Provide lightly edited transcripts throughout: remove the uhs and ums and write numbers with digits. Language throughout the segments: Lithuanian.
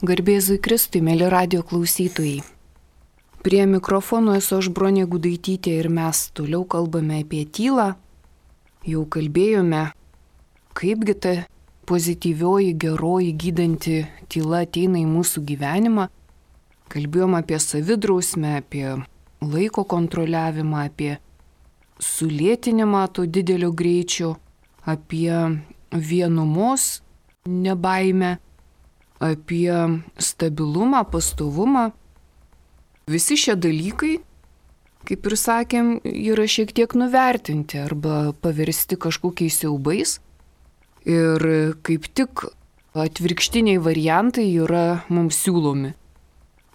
Garbėzui Kristui, mėly radio klausytojai. Prie mikrofono esu aš Bronė Gudaitytė ir mes toliau kalbame apie tylą. Jau kalbėjome, kaipgi ta pozityvioji, geroji, gydanti tyla ateina į mūsų gyvenimą. Kalbėjome apie savidrausmę, apie laiko kontroliavimą, apie sulėtinimą to didelio greičio, apie vienumos nebaimę, apie stabilumą, pastovumą. Visi šie dalykai, kaip ir sakėm, yra šiek tiek nuvertinti arba paversti kažkokiais siaubais. Ir kaip tik atvirkštiniai variantai yra mums siūlomi.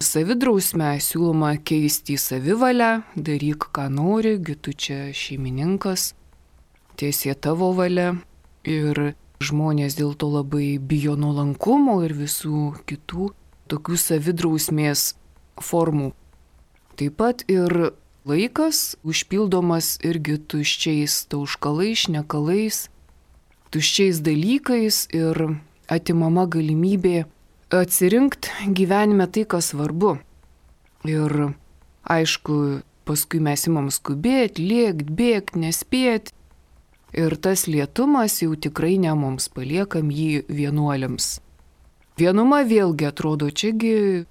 Savidrausmę siūloma keisti į savivalę, daryk ką nori, gi tu čia šeimininkas, tiesie tavo valia. Ir žmonės dėl to labai bijo nuolankumo ir visų kitų tokių savidrausmės formų. Taip pat ir laikas užpildomas irgi tuščiais tauškalais, šnekalais, tuščiais dalykais ir atimama galimybė atsirinkti gyvenime tai, kas svarbu. Ir aišku, paskui mes imam skubėti, lėkt, bėgt, nespėti. Ir tas lėtumas jau tikrai ne mums, paliekam jį vienuoliams. Vienuma vėlgi atrodo, čiagi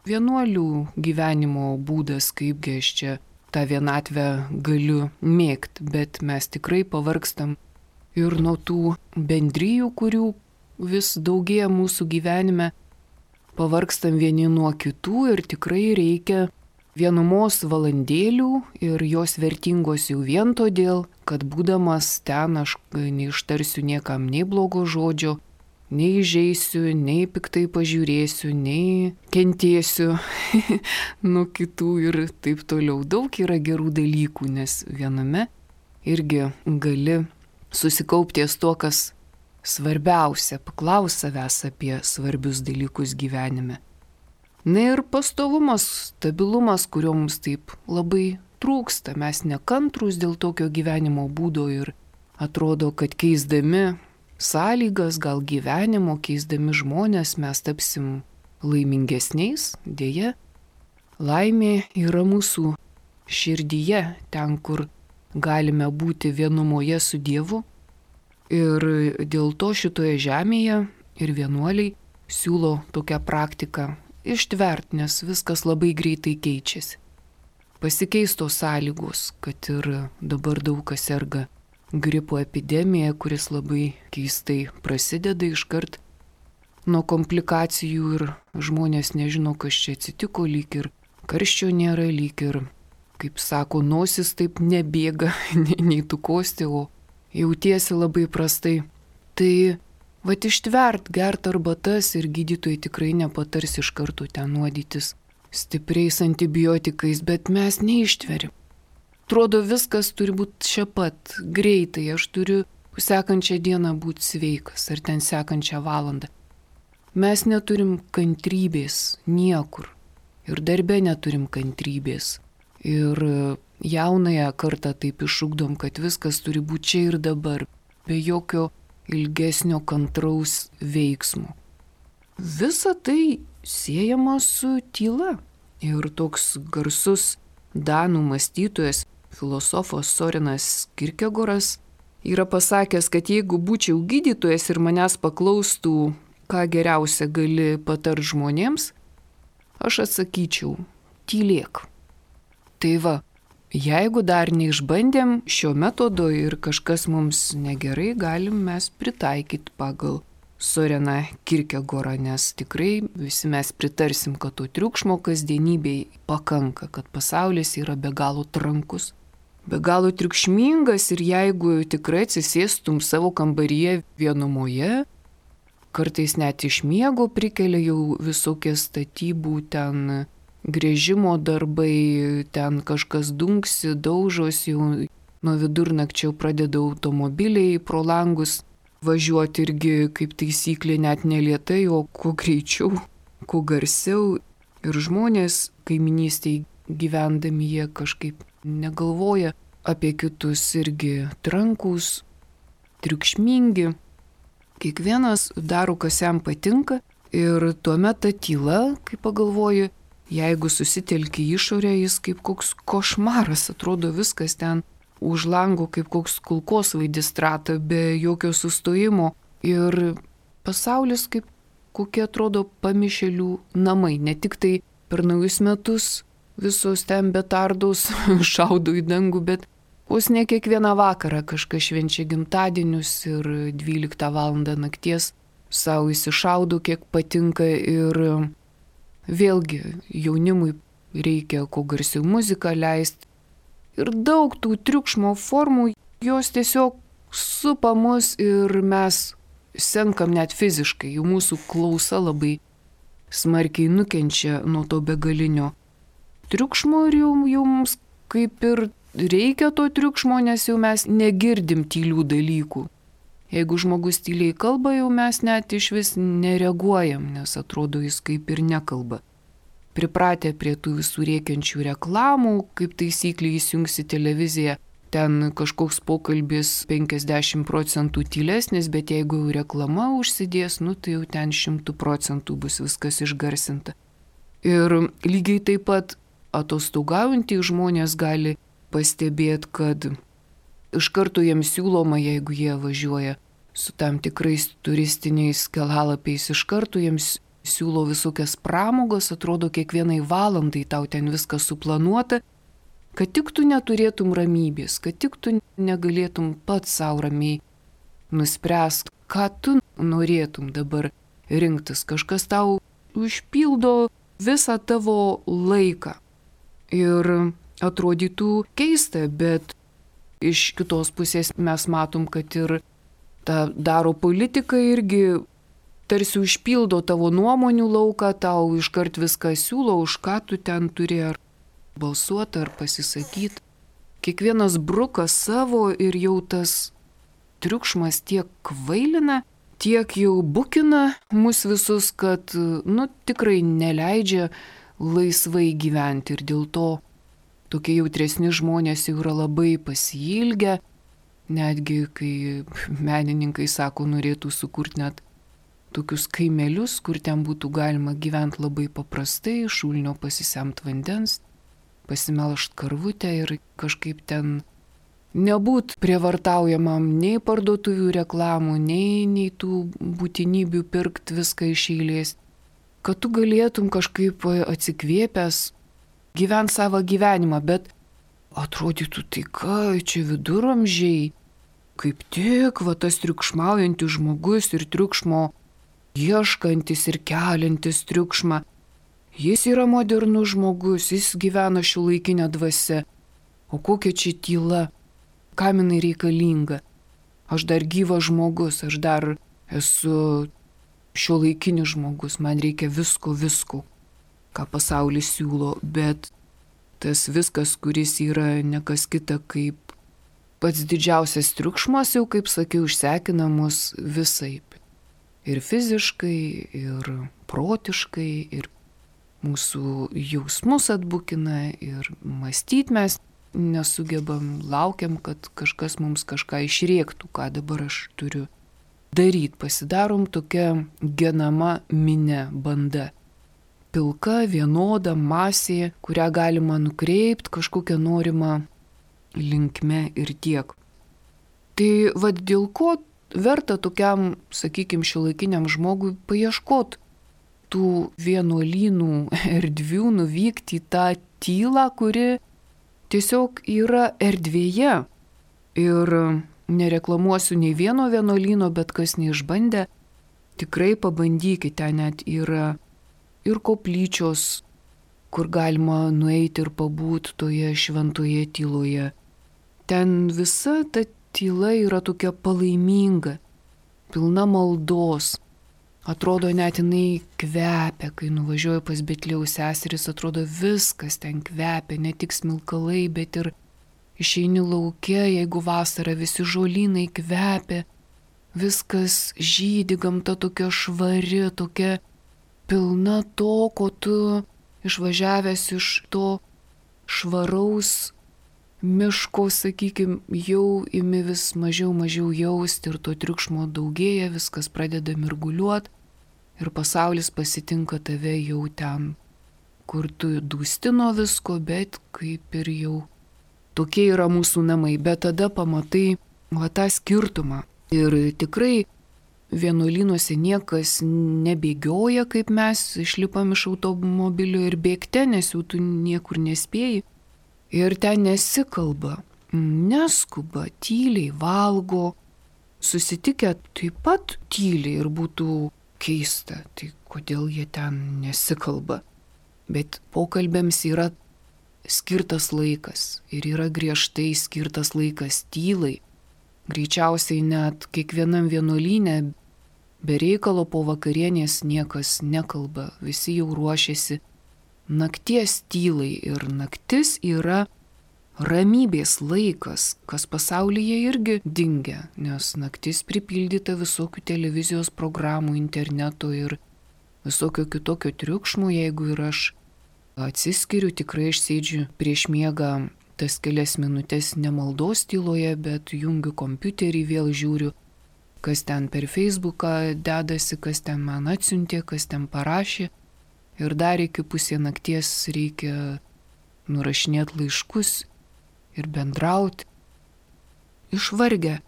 vienuolių gyvenimo būdas, kaipgi aš čia tą vienatvę galiu mėgti, bet mes tikrai pavargstam ir nuo tų bendrijų, kurių vis daugėja mūsų gyvenime, pavargstam vieni nuo kitų ir tikrai reikia vienumos valandėlių ir jos vertingos jau vien todėl, kad būdamas ten aš neištarsiu niekam nei blogo žodžio, nei įžeisiu, nei piktai pažiūrėsiu, nei kentėsiu nuo kitų ir taip toliau. Daug yra gerų dalykų, nes viename irgi gali susikaupti ties to, kas svarbiausia, paklaus savęs apie svarbius dalykus gyvenime. Na ir pastovumas, stabilumas, kurio mums taip labai trūksta. Mes nekantrūs dėl tokio gyvenimo būdo ir atrodo, kad keisdami sąlygas, gal gyvenimo, keisdami žmonės, mes tapsim laimingesniais. Deja, laimė yra mūsų širdyje, ten, kur galime būti vienumoje su Dievu. Ir dėl to šitoje žemėje ir vienuoliai siūlo tokią praktiką ištvert, nes viskas labai greitai keičiasi. Pasikeis tos sąlygos, kad ir dabar daug kas serga gripo epidemija, kuris labai keistai prasideda iškart nuo komplikacijų ir žmonės nežino, kas čia atsitiko, lyg ir karščio nėra, lyg ir, kaip sako, nosis taip nebėga, nei tu kosti, o jautiesi labai prastai. Tai vat ištvert, gert arbatas ir gydytojai tikrai nepatars iš karto ten nuodytis stipriais antibiotikais, bet mes neištveriam. Atrodo, viskas turi būti čia pat, greitai, aš turiu sekančią dieną būti sveikas, ar ten sekančią valandą. Mes neturim kantrybės niekur ir darbe neturim kantrybės. Ir jaunąją kartą taip išugdom, kad viskas turi būti čia ir dabar, be jokio ilgesnio kantraus veiksmo. Visa tai siejama su tyla. Ir toks garsus danų mąstytojas, filosofas Sorenas Kierkegoras yra pasakęs, kad jeigu būčiau gydytojas ir manęs paklaustų, ką geriausia gali patart žmonėms, aš atsakyčiau, tylėk. Tai va, jeigu dar neišbandėm šio metodo ir kažkas mums negerai, galim mes pritaikyti pagal Soreną Kierkegorą, nes tikrai visi mes pritarsim, kad to triukšmo kasdienybėj pakanka, kad pasaulis yra be galo trankus, be galo triukšmingas ir jeigu tikrai atsisėstum savo kambaryje vienumoje, kartais net iš miego prikelia jau visokie statybų ten gręžimo darbai, ten kažkas dunksi, daužos, jau nuo vidurnakčio pradeda automobiliai pro langus važiuoti irgi kaip taisyklė net nelėtai, o kuo greičiau, kuo garsiau. Ir žmonės kaiminystėje gyvendami jie kažkaip negalvoja apie kitus, irgi trankus, triukšmingi. Kiekvienas daro, kas jam patinka Ir tuomet ta tyla, kai pagalvoju, jeigu susitelki išorę, jis kaip koks košmaras, atrodo viskas ten už lango kaip koks kulkosvaidis trata, be jokio sustojimo. Ir pasaulis kaip kokie atrodo pamišėlių namai, ne tik tai per naujus metus visos ten betardos šaudo į dangų, bet vos ne kiekvieną vakarą kažkas švenčia gimtadienius ir 12 val. Nakties savo įsišaudo, kiek patinka ir vėlgi jaunimui reikia kuo garsiau muziką leisti. Ir daug tų triukšmo formų, jos tiesiog supa mus ir mes senkam net fiziškai, jau mūsų klausa labai smarkiai nukenčia nuo to begalinio triukšmo ir jau mums kaip ir reikia to triukšmo, nes jau mes negirdim tylių dalykų. Jeigu žmogus tyliai kalba, jau mes net iš vis nereaguojam, nes atrodo jis kaip ir nekalba. Pripratę prie tų visų rėkiančių reklamų, kaip taisyklė įsijungsi televiziją, ten kažkoks pokalbis 50% tylesnis, bet jeigu jau reklama užsidės, tai jau ten 100% bus viskas išgarsinta. Ir lygiai taip pat atostogaujantys žmonės gali pastebėti, kad iš karto jiems siūloma, jeigu jie važiuoja su tam tikrais turistiniais kelalapiais, iš karto jiems siūlo visokias pramogos, atrodo kiekvienai valandai tau ten viskas suplanuota, kad tik tu neturėtum ramybės, kad tik tu negalėtum pats savo ramiai nuspręst, ką tu norėtum dabar rinktis. Kažkas tau užpildo visą tavo laiką. Ir atrodytų keista, bet iš kitos pusės mes matom, kad ir tą daro politika irgi tarsi užpildo tavo nuomonių lauką, tau iškart viską siūlo, už ką tu ten turi ar balsuoti, ar pasisakyti. Kiekvienas bruka savo ir jau tas triukšmas tiek kvailina, tiek jau bukina mus visus, kad tikrai neleidžia laisvai gyventi ir dėl to tokie jautresni žmonės jau yra labai pasiilgę, netgi kai menininkai sako, norėtų sukurti net tokius kaimelius, kur ten būtų galima gyventi labai paprastai, šulinio pasisemt vandens, pasimelžt karvutę ir kažkaip ten nebūt prievartaujamam nei parduotuvių reklamų, nei tų būtinybių pirkti viską iš eilės, kad tu galėtum kažkaip atsikvėpęs gyventi savo gyvenimą, bet atrodytų tai ką, čia viduramžiai, kaip tik tas triukšmaujantis žmogus ir triukšmo ieškantis ir keliantis triukšmą, jis yra modernus žmogus, jis gyvena šiuolaikinę dvasią, o kokia čia tyla, kam jinai reikalinga, aš dar gyvas žmogus, aš dar esu šiuolaikinis žmogus, man reikia visko, ką pasaulis siūlo, bet tas viskas, kuris yra nekas kita kaip pats didžiausias triukšmas, jau kaip sakiau, išsekina mus visaip. Ir fiziškai, ir protiškai, ir mūsų jausmus atbukina, ir mąstyti mes nesugebam, laukiam, kad kažkas mums kažką išrėktų, ką dabar aš turiu daryti. Pasidarom tokia genama minia, banda. Pilka, vienoda masė, kurią galima nukreipti kažkokią norimą linkme ir tiek. Tai dėl ko verta tokiam, sakykime, šiuolaikiniam žmogui paieškoti tų vienuolynų erdvių, nuvykti į tą tylą, kuri tiesiog yra erdvėje. Ir nereklamuosiu nei vieno vienuolyno, bet kas neišbandė, tikrai pabandykite, ten net yra ir koplyčios, kur galima nueiti ir pabūti toje šventoje tyloje. Ten visa ta tyla yra tokia palaiminga, pilna maldos. Atrodo, net jinai kvepia, kai nuvažiuoju pas Betliejaus seseris, atrodo viskas ten kvepia, ne tik smilkalai, bet ir išeini lauke, jeigu vasara, visi žolynai kvepia, viskas žydi, gamta tokia švari, tokia pilna to, ko tu išvažiavęs iš to švaraus miško, sakykime, jau imi vis mažiau jausti ir to triukšmo daugėja, viskas pradeda mirguliuoti ir pasaulis pasitinka tave jau ten, kur tu dūsti nuo visko, bet kaip ir jau tokie yra mūsų namai. Bet tada pamatai tą skirtumą. Ir tikrai vienuolynuose niekas nebėgioja, kaip mes išlipam iš automobilio ir bėgte, nes jau tu niekur nespėjai. Ir ten nesikalba, neskuba, tyliai valgo, susitikę taip pat tyliai ir būtų keista, tai kodėl jie ten nesikalba. Bet pokalbėms yra skirtas laikas ir yra griežtai skirtas laikas tylai. Greičiausiai net kiekvienam vienuolyne be reikalo po vakarienės niekas nekalba, visi jau ruošiasi nakties tylai ir naktis yra ramybės laikas, kas pasaulyje irgi dingia, nes naktis pripildyta visokių televizijos programų, interneto ir visokio kitokio triukšmo. Jeigu ir aš atsiskiriu, tikrai aš sėdžiu prieš miegą tas kelias minutės ne maldos tyloje, bet jungiu kompiuterį, vėl žiūriu, kas ten per Facebooką dedasi, kas ten man atsiuntė, kas ten parašė. Ir dar iki pusė nakties reikia nurašinėti laiškus ir bendrauti. Išvargę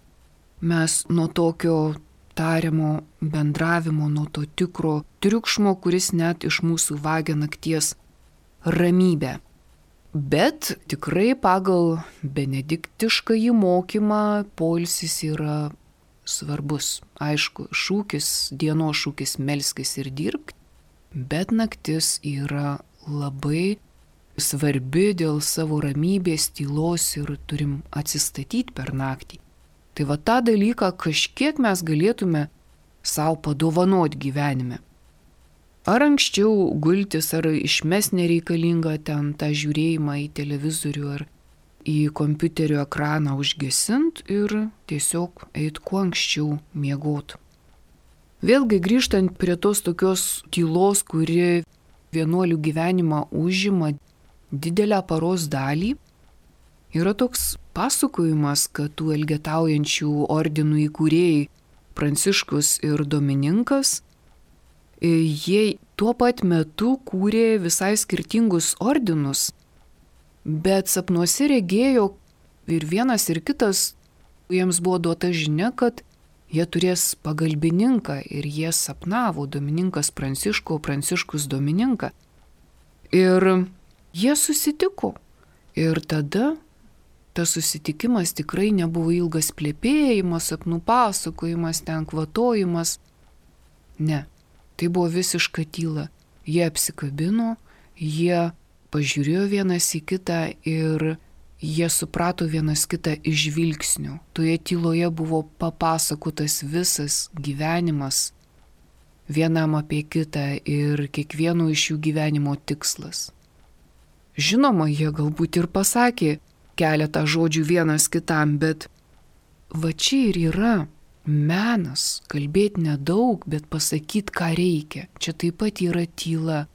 mes nuo tokio tariamo bendravimo, nuo to tikro triukšmo, kuris net iš mūsų vagia nakties ramybę. Bet tikrai pagal benediktiškąjį mokymą poilsis yra svarbus. Aišku, dienos šūkis melskis ir dirbk, bet naktis yra labai svarbi dėl savo ramybės, tylos ir turim atsistatyti per naktį. Tai va tą dalyką kažkiek mes galėtume savo padovanoti gyvenime. Ar anksčiau gultis, ar išmes nereikalinga ten tą žiūrėjimą į televizorių ar į kompiuterio ekraną užgesint ir tiesiog eit kuo anksčiau miegot. Vėlgi grįžtant prie tos tokios tylos, kuri vienuolių gyvenimą užima didelę paros dalį, yra toks pasakojimas, kad tų elgetaujančių ordinų įkūrėjai Pranciškus ir Domininkas, jie tuo pat metu kūrė visai skirtingus ordinus, bet sapnuose regėjo ir vienas ir kitas, jiems buvo duota žinia, kad jie turės pagalbininką ir jie sapnavo Domininkas Pranciškų, Pranciškus Domininką. Ir jie susitiko. Ir tada tas susitikimas tikrai nebuvo ilgas plepėjimas, sapnų pasakojimas, ten kvatojimas. Ne. Tai buvo visiška tyla. Jie apsikabino, jie pažiūrėjo vienas į kitą ir jie suprato vienas kitą iš žvilgsnių. Toje tyloje buvo papasakotas visas gyvenimas vienam apie kitą ir kiekvieno iš jų gyvenimo tikslas. Žinoma, jie galbūt ir pasakė keletą žodžių vienas kitam, bet va čia ir yra menas, kalbėti nedaug, bet pasakyti, ką reikia. Čia taip pat yra tyla.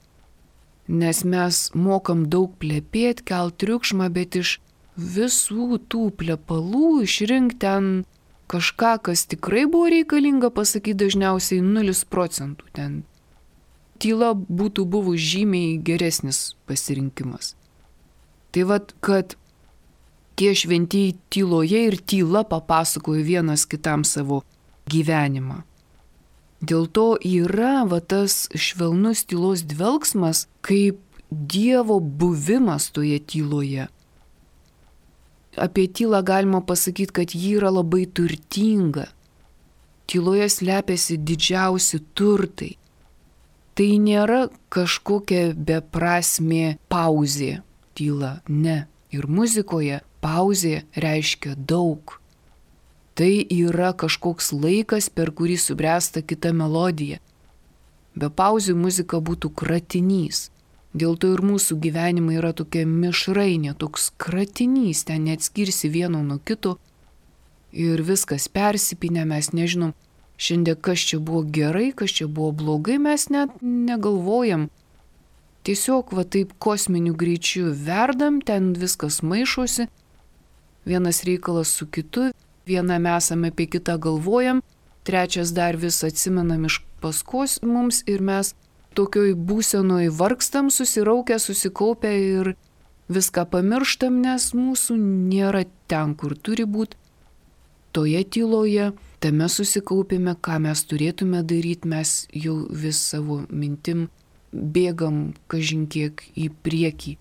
Nes mes mokam daug plepėti, kelt triukšmą, bet iš visų tų plepalų išrinkti ten kažką, kas tikrai buvo reikalinga pasakyti, dažniausiai 0%. Ten tyla būtų buvus žymiai geresnis pasirinkimas. Tai vat, kad tie šventieji tyloje ir tyla papasakojo vienas kitam savo gyvenimą. Dėl to yra va tas švelnus tylos dvelksmas kaip Dievo buvimas toje tyloje. Apie tylą galima pasakyti, kad ji yra labai turtinga. Tyloje slepiasi didžiausi turtai. Tai nėra kažkokia beprasmė pauzė tyla, ne. Ir muzikoje pauzė reiškia daug. Tai yra kažkoks laikas, per kurį subręsta kita melodija. Be pauzių muzika būtų kratinys. Dėl to ir mūsų gyvenimai yra tokia mišrainė, toks kratinys, ten neatskirsi vieno nuo kito ir viskas persipinę, mes nežinom, šiandien kas čia buvo gerai, kas čia buvo blogai, mes net negalvojam. Tiesiog va taip kosminiu greičiu verdam, ten viskas maišosi, vienas reikalas su kitu, vienam esame apie kitą galvojam, trečias dar vis atsimenam iš paskos mums ir mes tokioj būsenoj vargstam, susiraukę, susikaupę ir viską pamirštam, nes mūsų nėra ten, kur turi būti. Toje tyloje, tame susikaupime, ką mes turėtume daryti, mes jau vis savo mintim bėgam kažinkiek į priekį.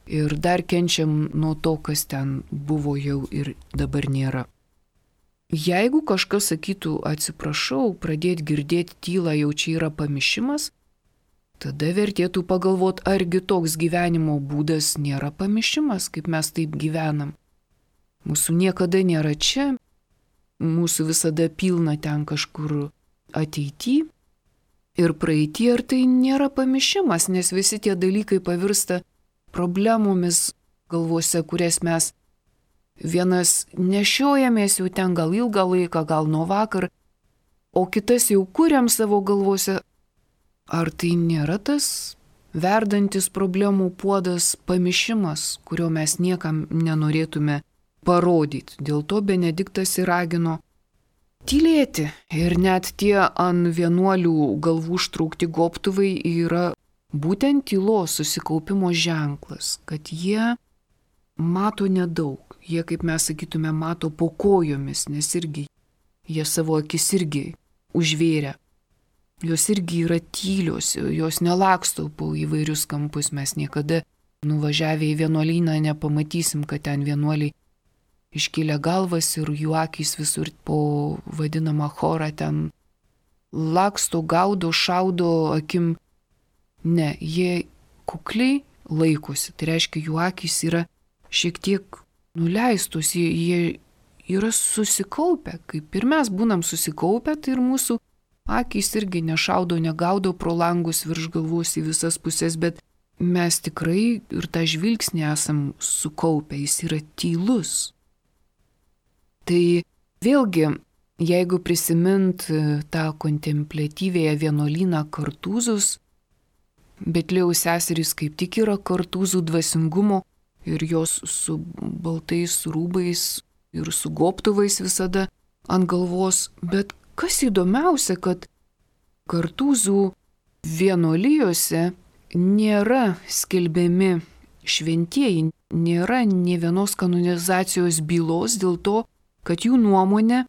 Ir dar kenčiam nuo to, kas ten buvo jau ir dabar nėra. Jeigu kažkas sakytų atsiprašau, pradėti girdėti tylą jau čia yra pamišimas, tada vertėtų pagalvoti, argi toks gyvenimo būdas nėra pamišimas, kaip mes taip gyvenam. Mūsų niekada nėra čia, mūsų visada pilna ten kažkur ateity ir praeity, ar tai nėra pamišimas, nes visi tie dalykai pavirsta problemomis galvose, kurias mes vienas nešiojamės jau ten gal ilgą laiką, gal nuo vakar, o kitas jau kuriam savo galvose. Ar tai nėra tas verdantis problemų puodas pamišimas, kurio mes niekam nenorėtume parodyti? Dėl to Benediktas ir ragino tylėti. Ir net tie ant vienuolių galvų užtraukti gobtuvai yra būtent tylos susikaupimo ženklas, kad jie mato nedaug. Jie, kaip mes sakytume, mato po kojomis, nes irgi jie savo akis irgi užvėrė. Jos irgi yra tylios, jos nelaksto po įvairius kampus. Mes niekada nuvažiavę į vienuolyną nepamatysim, kad ten vienuoliai iškėlė galvas ir jų akys visur po vadinamą chorą ten laksto, gaudo, šaudo akim. Ne, jie kukliai laikosi. Tai reiškia, jų akys yra šiek tiek nuleistus, jie yra susikaupę. Kaip ir mes būnam susikaupę, tai ir mūsų akys irgi nešaudo, negaudo pro langus virš galvos į visas pusės, bet mes tikrai ir tą žvilgsnį esam sukaupę, jis yra tylus. Tai vėlgi, jeigu prisimint tą kontempliatyvėje vienuolyną Kartūzus, Betliejaus seserys kaip tik yra Kartūzų dvasingumo ir jos su baltais rūbais ir su gobtuvais visada ant galvos, bet kas įdomiausia, kad Kartūzų vienuolijose nėra skelbiami šventieji, nėra nė vienos kanonizacijos bylos dėl to, kad jų nuomonė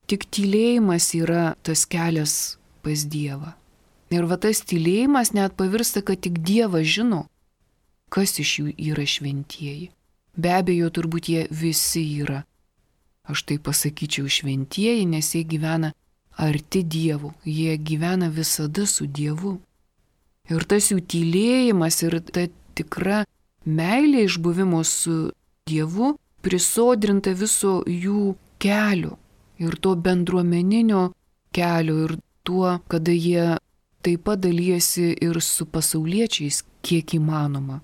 tik tylėjimas yra tas kelias pas Dievą. Ir va tas tylėjimas net pavirsta, kad tik Dievas žino, kas iš jų yra šventieji. Be abejo, turbūt jie visi yra. Aš tai pasakyčiau šventieji, nes jie gyvena arti Dievo, jie gyvena visada su Dievu. Ir tas jų tylėjimas ir ta tikra meilė išbuvimo su Dievu prisodrinta viso jų kelio ir to bendruomeninio kelio ir tuo, kada jie taip pat dalyjasi ir su pasauliečiais, kiek įmanoma.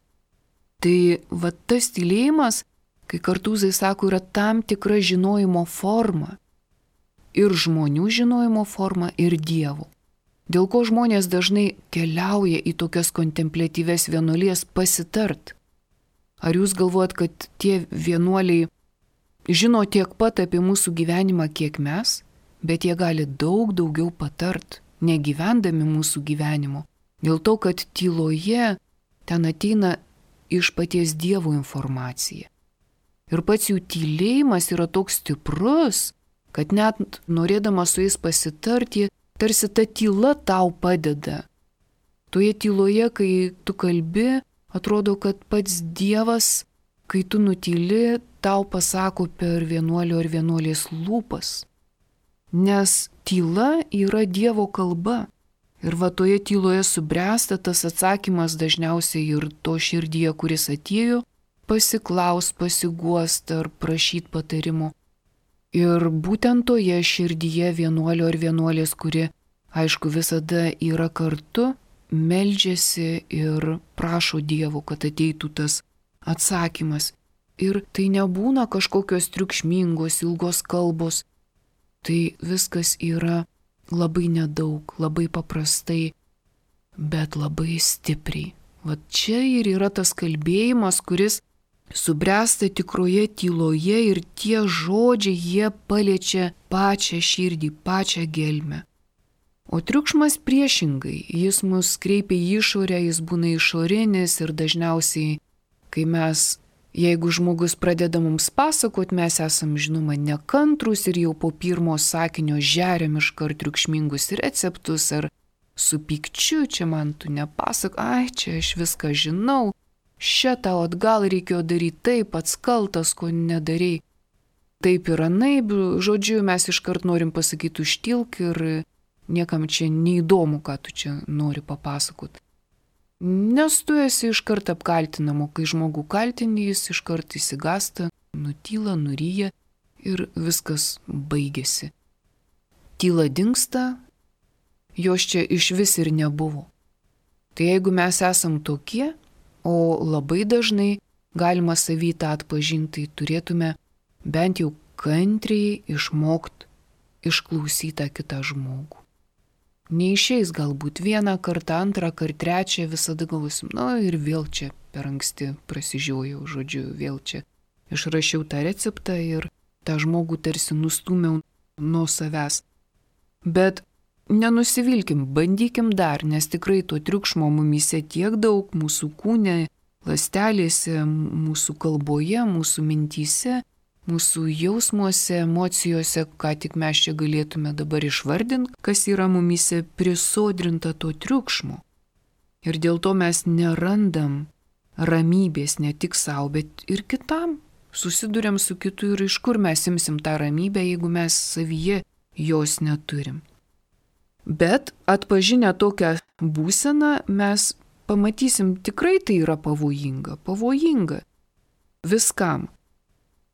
Tai va tas tylėjimas, kai Kartūzai sako, yra tam tikra žinojimo forma. Ir žmonių žinojimo forma, ir Dievo. Dėl ko žmonės dažnai keliauja į tokias kontempliatyves vienuolijas pasitart. Ar jūs galvojat, kad tie vienuoliai žino tiek pat apie mūsų gyvenimą, kiek mes, bet jie gali daug daugiau patart, negyvendami mūsų gyvenimo. Dėl to, kad tyloje ten ateina iš paties Dievo informacija. Ir pats jų tylėjimas yra toks stiprus, kad net norėdamas su jais pasitarti, tarsi ta tyla tau padeda. Toje tyloje, kai tu kalbi, atrodo, kad pats Dievas, kai tu nutyli, tau pasako per vienuolio ar vienuolės lūpas. Nes tyla yra Dievo kalba. Ir va toje tyloje subręsta tas atsakymas dažniausiai ir to širdyje, kuris atėjo, pasiklaus, pasiguost ar prašyt patarimo. Ir būtent toje širdyje vienuolio ar vienuolės, kuri, aišku, visada yra kartu, meldžiasi ir prašo Dievo, kad ateitų tas atsakymas. Ir tai nebūna kažkokios triukšmingos, ilgos kalbos. Tai viskas yra labai nedaug, labai paprastai, bet labai stipriai. Va čia ir yra tas kalbėjimas, kuris subręsta tikroje tyloje ir tie žodžiai, jie paliečia pačią širdį, pačią gelmę. O triukšmas priešingai, jis mus kreipia į išorę, jis būna išorinis ir dažniausiai, kai mes, jeigu žmogus pradeda mums pasakot, mes esam žinoma nekantrus ir jau po pirmo sakinio žeriam iškart triukšmingus receptus ar su pykčiu, čia man tu nepasak, čia aš viską žinau, tau atgal reikėjo daryti taip, pats kaltas, ko nedarei. Taip ir anaip, žodžiu, mes iškart norim pasakyti užtilk ir niekam čia neįdomu, ką tu čia nori papasakot. Nes tu esi iškart apkaltinamo, kai žmogų kaltini, jis iškart įsigasta, nutyla, nuryja ir viskas baigėsi. Tyla dingsta, jos čia iš vis ir nebuvo. Tai jeigu mes esam tokie, o labai dažnai galima savy tą atpažinti, turėtume bent jau kantriai išmokti išklausyti kitą žmogų. Neišeis galbūt vieną kartą, antrą kartą, trečią, visada galvosim, ir vėl čia per anksti prasižiojau, žodžiu, vėl čia išrašiau tą receptą ir tą žmogų tarsi nustūmiau nuo savęs. Bet nenusivilkim, bandykim dar, nes tikrai to triukšmo mumyse tiek daug, mūsų kūne, ląstelėse, mūsų kalboje, mūsų mintyse, mūsų jausmuose, emocijose, ką tik mes čia galėtume dabar išvardinti, kas yra mumyse prisodrinta to triukšmo. Ir dėl to mes nerandam ramybės ne tik savo, bet ir kitam. Susiduriam su kitu ir iš kur mes imsim tą ramybę, jeigu mes savyje jos neturim. Bet atpažinę tokią būseną mes pamatysim, tikrai tai yra pavojinga viskam.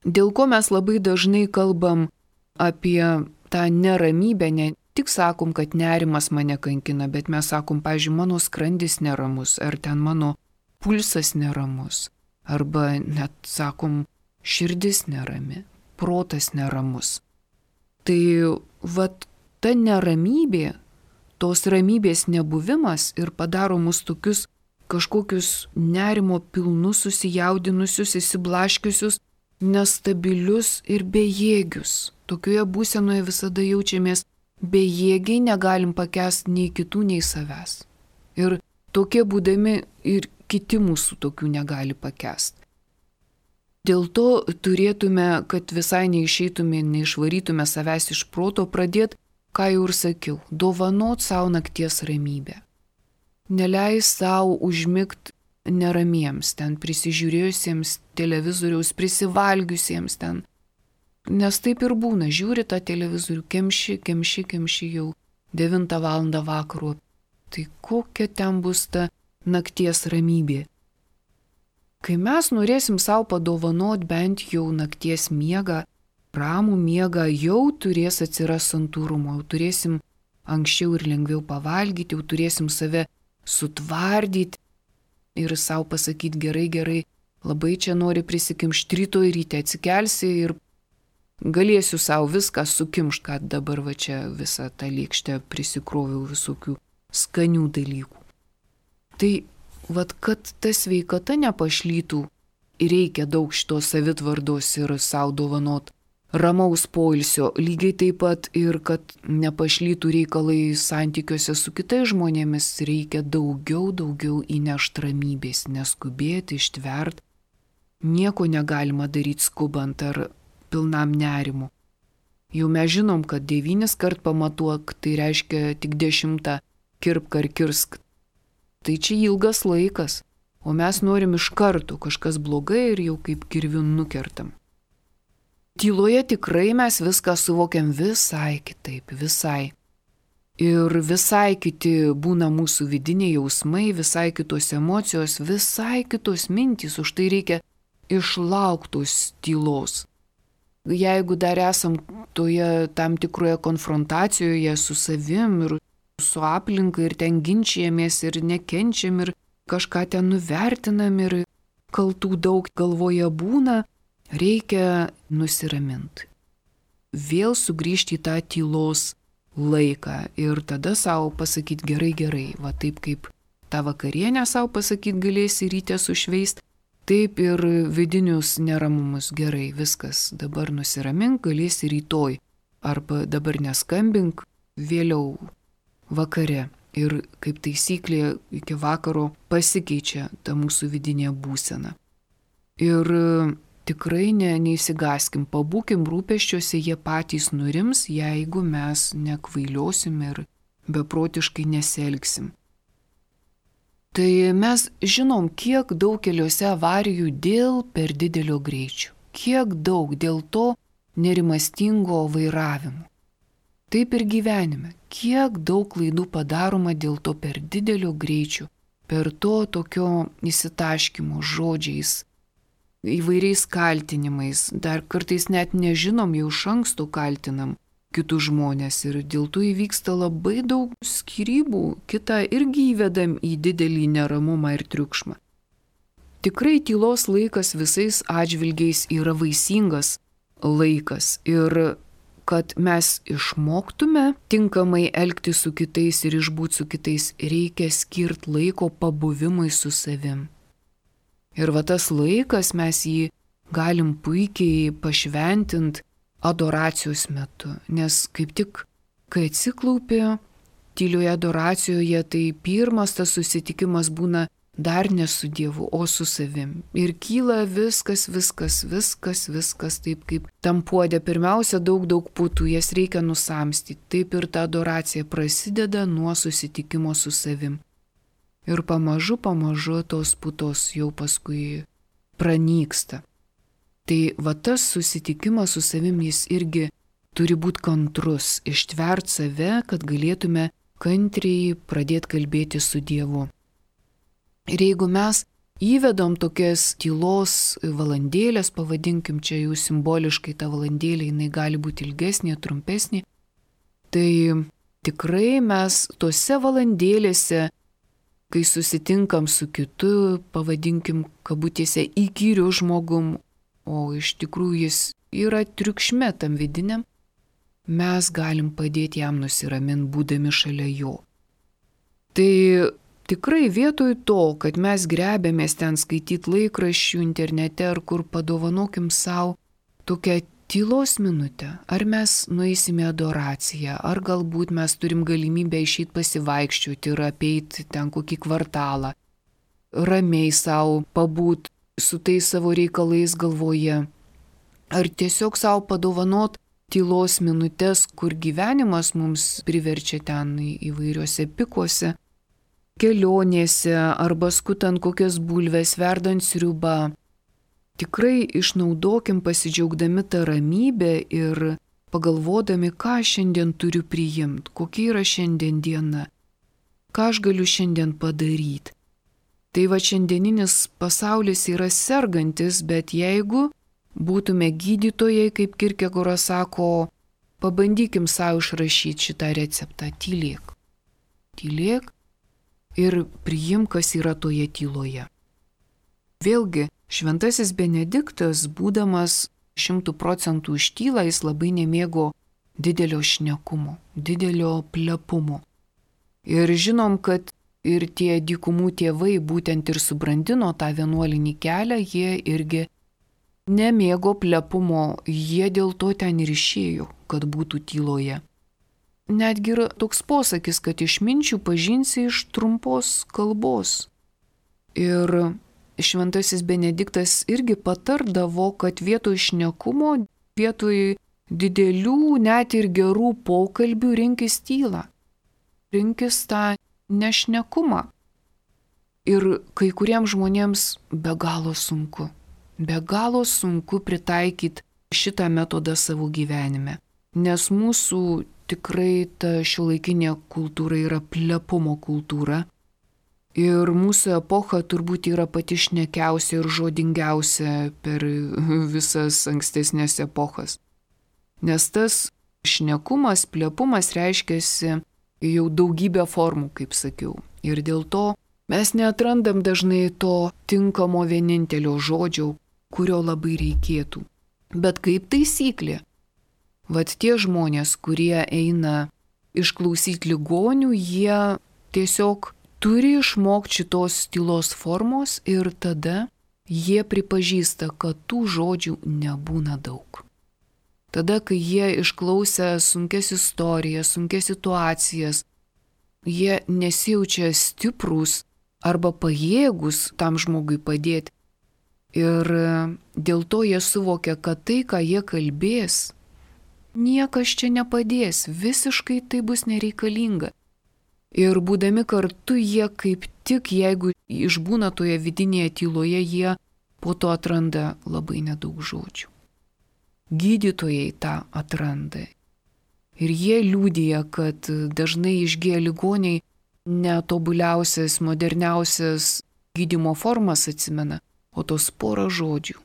Dėl ko mes labai dažnai kalbam apie tą neramybę, ne tik sakom, kad nerimas mane kankina, bet mes sakom, pavyzdžiui, mano skrandis neramus, ar ten mano pulsas neramus, arba net sakom, širdis nerami, protas neramus. Tai ta neramybė, tos ramybės nebuvimas ir padaro mus tokius kažkokius nerimo pilnus, susijaudinusius, įsiblaškiusius, nestabilius ir bejėgius. Tokioje būsenoje visada jaučiamės bejėgiai, negalim pakęsti nei kitų, nei savęs. Ir tokie būdami ir kiti mūsų tokių negali pakęsti. Dėl to turėtume, kad visai neišeitume, neišvarytume savęs iš proto, pradėti, ką jau ir sakiau, dovanot savo nakties ramybę. Neleis savo užmigti neramiems, ten prisižiūrėjusiems televizoriaus, prisivalgiusiems ten. Nes taip ir būna, žiūri tą televizorių, kemši jau 9 valandą vakaro. Tai kokia ten bus ta nakties ramybė? Kai mes norėsim savo padovanot bent jau nakties miegą, ramų miegą, jau turės atsiras santūrumo, jau turėsim anksčiau ir lengviau pavalgyti, jau turėsim save sutvardyti ir savo pasakyti gerai, labai čia nori prisikimšti, rytoj ryte atsikelsi ir galėsiu savo viską sukimšti, kad dabar čia visą tą lėkštę prisikroviau visokių skanių dalykų. Tai kad ta sveikata nepašlytų, reikia daug šitos savitvardos ir savo dovanot ramaus poilsio, lygiai taip pat ir kad nepašlytų reikalai santykiuose su kitais žmonėmis, reikia daugiau įnešti ramybės, neskubėti, ištvert. Nieko negalima daryti skubant ar pilnam nerimu. Jau mes žinom, kad 9 kart pamatuok, tai reiškia tik 10 kirpk ar kirsk. Tai čia ilgas laikas, o mes norim iš karto, kažkas blogai ir jau kaip kirviu nukertam. Tyloje tikrai mes viską suvokiam visai kitaip, visai. Ir visai kiti būna mūsų vidiniai jausmai, visai kitos emocijos, visai kitos mintys, už tai reikia išlauktos tylos. Jeigu dar esam toje tam tikroje konfrontacijoje su savim ir su aplinka ir ten ginčijamės ir nekenčiam ir kažką ten nuvertinam ir kaltų daug galvoje būna, reikia nusiraminti. Vėl sugrįžti į tą tylos laiką ir tada savo pasakyti gerai, va taip kaip tą vakarienę savo pasakyti galėsi ryte sušveist, taip ir vidinius neramumus gerai, viskas, dabar nusiramink, galėsi rytoj, arba dabar neskambink, vėliau vakare. Ir kaip taisyklė iki vakaro pasikeičia ta mūsų vidinė būsena. Ir tikrai neįsigaskim, pabūkim rūpesčiuose, jie patys nurims, jeigu mes nekvailiosim ir beprotiškai nesielgsim. Tai mes žinom, kiek daug keliuose avarijų dėl per didelio greičio, kiek daug dėl to nerimastingo vairavimo. Taip ir gyvenime, kiek daug klaidų padaroma dėl to per didelio greičio, per to tokio įsitaškymo žodžiais, įvairiais kaltinimais, dar kartais net nežinom, jau iš anksto kaltinam kitus žmonės ir dėl to įvyksta labai daug skyrybų, kitą irgi įvedam į didelį neramumą ir triukšmą. Tikrai tylos laikas visais atžvilgiais yra vaisingas laikas ir kad mes išmoktume tinkamai elgtis su kitais ir išbūti su kitais, reikia skirti laiko pabuvimui su savim. Ir va tas laikas mes jį galim puikiai pašventinti adoracijos metu, nes kaip tik, kai atsiklaupi tylioje adoracijoje, tai pirmas tas susitikimas būna dar ne su Dievu, o su savim. Ir kyla viskas, taip kaip tam puode. Pirmiausia, daug putų, jas reikia nusamstyti. Taip ir ta adoracija prasideda nuo susitikimo su savim. Ir pamažu tos putos jau paskui pranyksta. Tai va tas susitikimas su savim jis irgi turi būti kantrus, ištvert save, kad galėtume kantriai pradėti kalbėti su Dievu. Ir jeigu mes įvedom tokias tylos valandėlės, pavadinkim čia jau simboliškai tą valandėlę, jinai gali būti ilgesnė, trumpesnė, tai tikrai mes tose valandėlėse, kai susitinkam su kitu, pavadinkim kabutėse įkyriu žmogum, o iš tikrųjų jis yra triukšme tam vidiniam, mes galim padėti jam nusiraminti, būdami šalia jo. Tai tikrai vietoj to, kad mes grebiamės ten skaityti laikraščių internete ar kur, padovanokim savo tokią tylos minutę. Ar mes nueisime adoraciją, ar galbūt mes turim galimybę išeiti pasivaikščioti ir apeiti ten kokį kvartalą, ramiai savo pabūt su tais savo reikalais galvoje, ar tiesiog savo padovanot tylos minutės, kur gyvenimas mums priverčia ten įvairiuose pikuose, kelionėse arba skutant kokias bulves, verdant sriubą. Tikrai išnaudokim pasidžiaugdami tą ramybę ir pagalvodami, ką šiandien turiu priimti, kokia yra šiandien diena, ką aš galiu šiandien padaryti. Tai va šiandieninis pasaulis yra sergantis, bet jeigu būtume gydytojai, kaip Kierkegoras sako, pabandykim savo išrašyti šitą receptą, tylėk. Tylėk ir priimk, kas yra toje tyloje. Vėlgi, Šventasis Benediktas, būdamas 100% ištyla, jis labai nemėgo didelio šnekumo, didelio plepumo. Ir žinom, kad ir tie dykumų tėvai būtent ir subrandino tą vienuolinį kelią, jie irgi nemėgo plepumo, jie dėl to ten ir išėjo, kad būtų tyloje. Netgi yra toks posakis, kad išminčių pažinsi iš trumpos kalbos. Ir Šventasis Benediktas irgi patardavo, kad vietoj šnekumo, vietoj didelių, net ir gerų pokalbių rinkis tylą. Rinkis tą nešnekumą. Ir kai kuriems žmonėms be galo sunku pritaikyti šitą metodą savo gyvenime. Nes mūsų tikrai ta šiuolaikinė kultūra yra plepumo kultūra. Ir mūsų epocha turbūt yra pati šnekiausia ir žodingiausia per visas ankstesnės epochas. Nes tas šnekumas, plepumas reiškiasi jau daugybę formų, kaip sakiau. Ir dėl to mes neatrandam dažnai to tinkamo vienintelio žodžio, kurio labai reikėtų. Bet kaip taisyklė, vat tie žmonės, kurie eina išklausyti ligonių, jie tiesiog turi išmokti šitos tylos formos ir tada jie pripažįsta, kad tų žodžių nebūna daug. Tada, kai jie išklausę sunkias istorijas, sunkias situacijas, jie nesijaučia stiprūs arba pajėgus tam žmogui padėti. Ir dėl to jie suvokia, kad tai, ką jie kalbės, niekas čia nepadės, visiškai tai bus nereikalinga. Ir būdami kartu jie kaip tik, jeigu išbūna toje vidinėje tyloje, jie po to atranda labai nedaug žodžių. Gydytojai tą atranda. Ir jie liudija, kad dažnai išgyję ligoniai netobuliausias, moderniausias gydymo formas atsimena, o tos porą žodžių,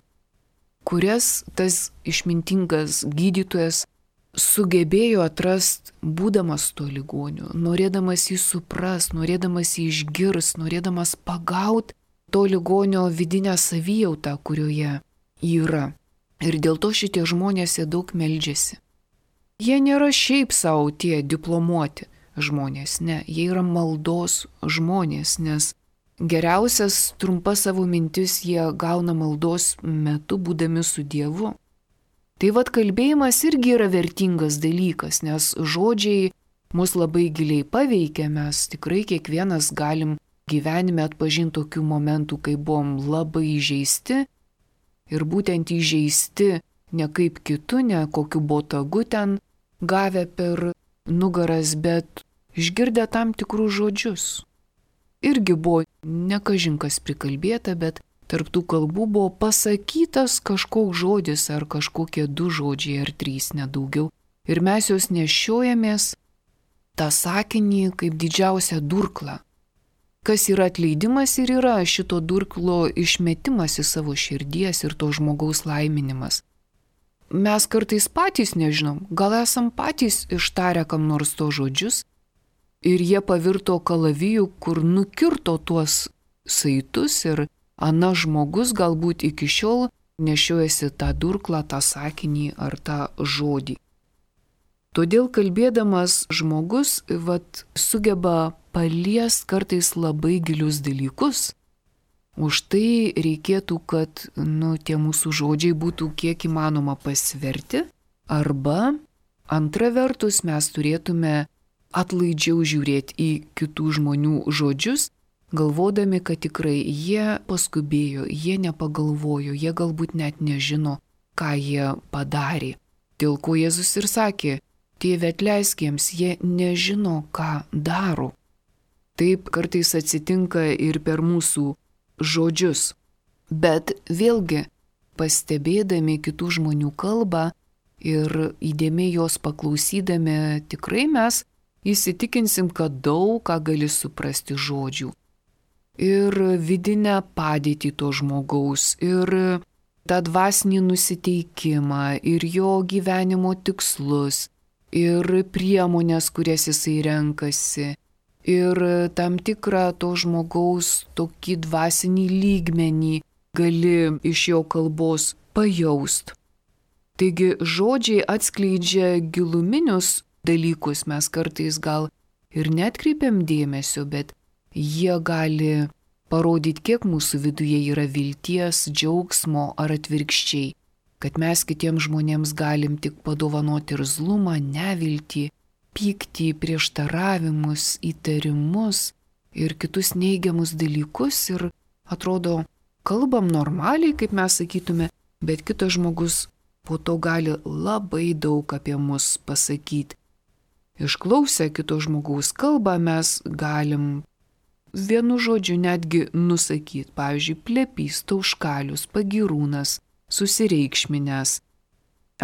kurias tas išmintingas gydytojas sugebėjo atrasti, būdamas tuo ligoniu, norėdamas jį suprast, norėdamas jį išgirst, norėdamas pagaut to ligonio vidinę savijautą, kurioje yra. Ir dėl to šitie žmonės jie daug meldžiasi. Jie nėra šiaip savo tie diplomuoti žmonės, ne, jie yra maldos žmonės, nes geriausias trumpas savo mintis jie gauna maldos metu, būdami su Dievu. Tai vat kalbėjimas irgi yra vertingas dalykas, nes žodžiai mus labai giliai paveikia, mes tikrai kiekvienas galim gyvenime atpažinti tokių momentų, kai buvom labai įžeisti ir būtent įžeisti ne kaip kitu, ne kokiu botagu ten gavę per nugaras, bet išgirdę tam tikrus žodžius. Irgi buvo nekažinkas prikalbėta, bet tarp tų kalbų buvo pasakytas kažkoks žodis ar kažkokie 2 žodžiai ar 3, nedaugiau. Ir mes jos nešiojamės tą sakinį kaip didžiausią durklą. Kas yra atleidimas ir yra šito durklo išmetimas į savo širdies ir to žmogaus laiminimas. Mes kartais patys nežinom, gal esam patys ištarę kam nors to žodžius ir jie pavirto kalaviju, kur nukirto tuos saitus ir ana žmogus galbūt iki šiol nešiojasi tą durklą, tą sakinį ar tą žodį. Todėl kalbėdamas žmogus sugeba paliest kartais labai gilius dalykus. Už tai reikėtų, kad tie mūsų žodžiai būtų kiek įmanoma pasverti, arba antra vertus mes turėtume atlaidžiau žiūrėti į kitų žmonių žodžius, galvodami, kad tikrai jie paskubėjo, jie nepagalvojo, jie galbūt net nežino, ką jie padarė. Dėl ko Jėzus ir sakė, Tėve atleisk jiems, jie nežino, ką daro. Taip kartais atsitinka ir per mūsų žodžius. Bet vėlgi, pastebėdami kitų žmonių kalbą ir įdėmiai jos paklausydami, tikrai mes įsitikinsim, kad daug ką gali suprasti žodžių. Ir vidinę padėtį to žmogaus, ir tą dvasinį nusiteikimą, ir jo gyvenimo tikslus, ir priemonės, kurias jisai renkasi, ir tam tikrą to žmogaus tokį dvasinį lygmenį gali iš jo kalbos pajaust. Taigi žodžiai atskleidžia giluminius dalykus, mes kartais gal ir netkreipiam dėmesio, bet jie gali parodyti, kiek mūsų viduje yra vilties, džiaugsmo ar atvirkščiai, kad mes kitiems žmonėms galim tik padovanoti irzlumą, neviltį, pyktį, prieštaravimus, įtarimus ir kitus neigiamus dalykus ir atrodo, kalbam normaliai, kaip mes sakytume, bet kitas žmogus po to gali labai daug apie mus pasakyti. Išklausę kito žmogaus kalbą mes galim vienu žodžiu netgi nusakyti, pavyzdžiui, plepys, tauškalius, pagyrūnas, susireikšminęs,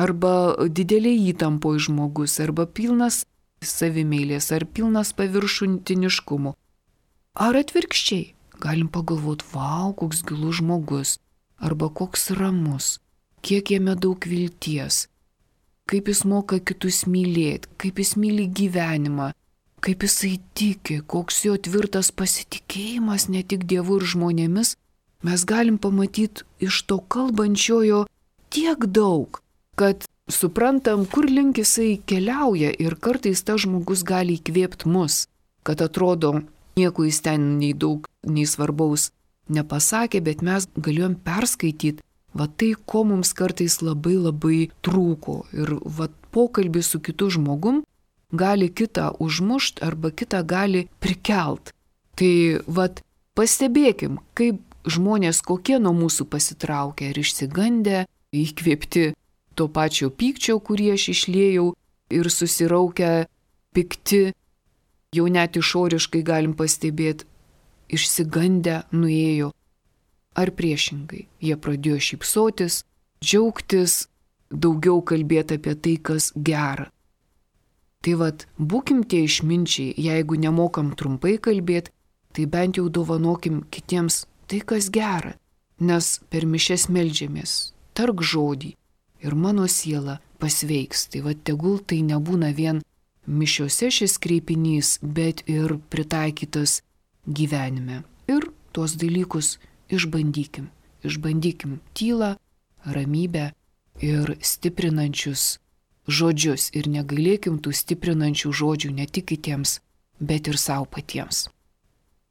arba didelė įtampo žmogus, arba pilnas savimeilės, ar pilnas paviršutiniškumo. Ar atvirkščiai, galim pagalvoti, vau, koks gilus žmogus, arba koks ramus, kiek jame daug vilties, kaip jis moka kitus mylėti, kaip jis myli gyvenimą, kaip jisai tiki, koks jo tvirtas pasitikėjimas ne tik Dievu ir žmonėmis, mes galim pamatyti iš to kalbančiojo tiek daug, kad suprantam, kur link jisai keliauja ir kartais tas žmogus gali įkvėpti mus, kad atrodo, nieko jis ten nei daug, nei svarbaus nepasakė, bet mes galėjom perskaityti tai, ko mums kartais labai labai trūko. Ir pokalbis su kitu žmogum gali kitą užmušt arba kitą gali prikelt. Tai pastebėkim, kaip žmonės kokie nuo mūsų pasitraukia ir išsigandę, įkvėpti to pačio pykčio, kurį aš išliejau ir susiraukę pikti, jau net išoriškai galim pastebėti, išsigandę nuėjo. Ar priešingai, jie pradėjo šypsotis, džiaugtis, daugiau kalbėti apie tai, kas gera. Tai būkim tie išminčiai, jeigu nemokam trumpai kalbėti, tai bent jau dovanokim kitiems tai, kas gera, nes per mišias meldžiamės, tark žodį ir mano siela pasveiks. Tai tegul tai nebūna vien mišiose šis kreipinys, bet ir pritaikytas gyvenime. Ir tuos dalykus išbandykim. Išbandykim tylą, ramybę ir stiprinančius žodžius. Ir negailėkim tų stiprinančių žodžių ne tik kitiems, bet ir savo patiems.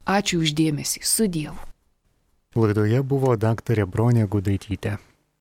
Ačiū už dėmesį. Su Dievu. Laidoje buvo daktarė Bronė Gudaitytė.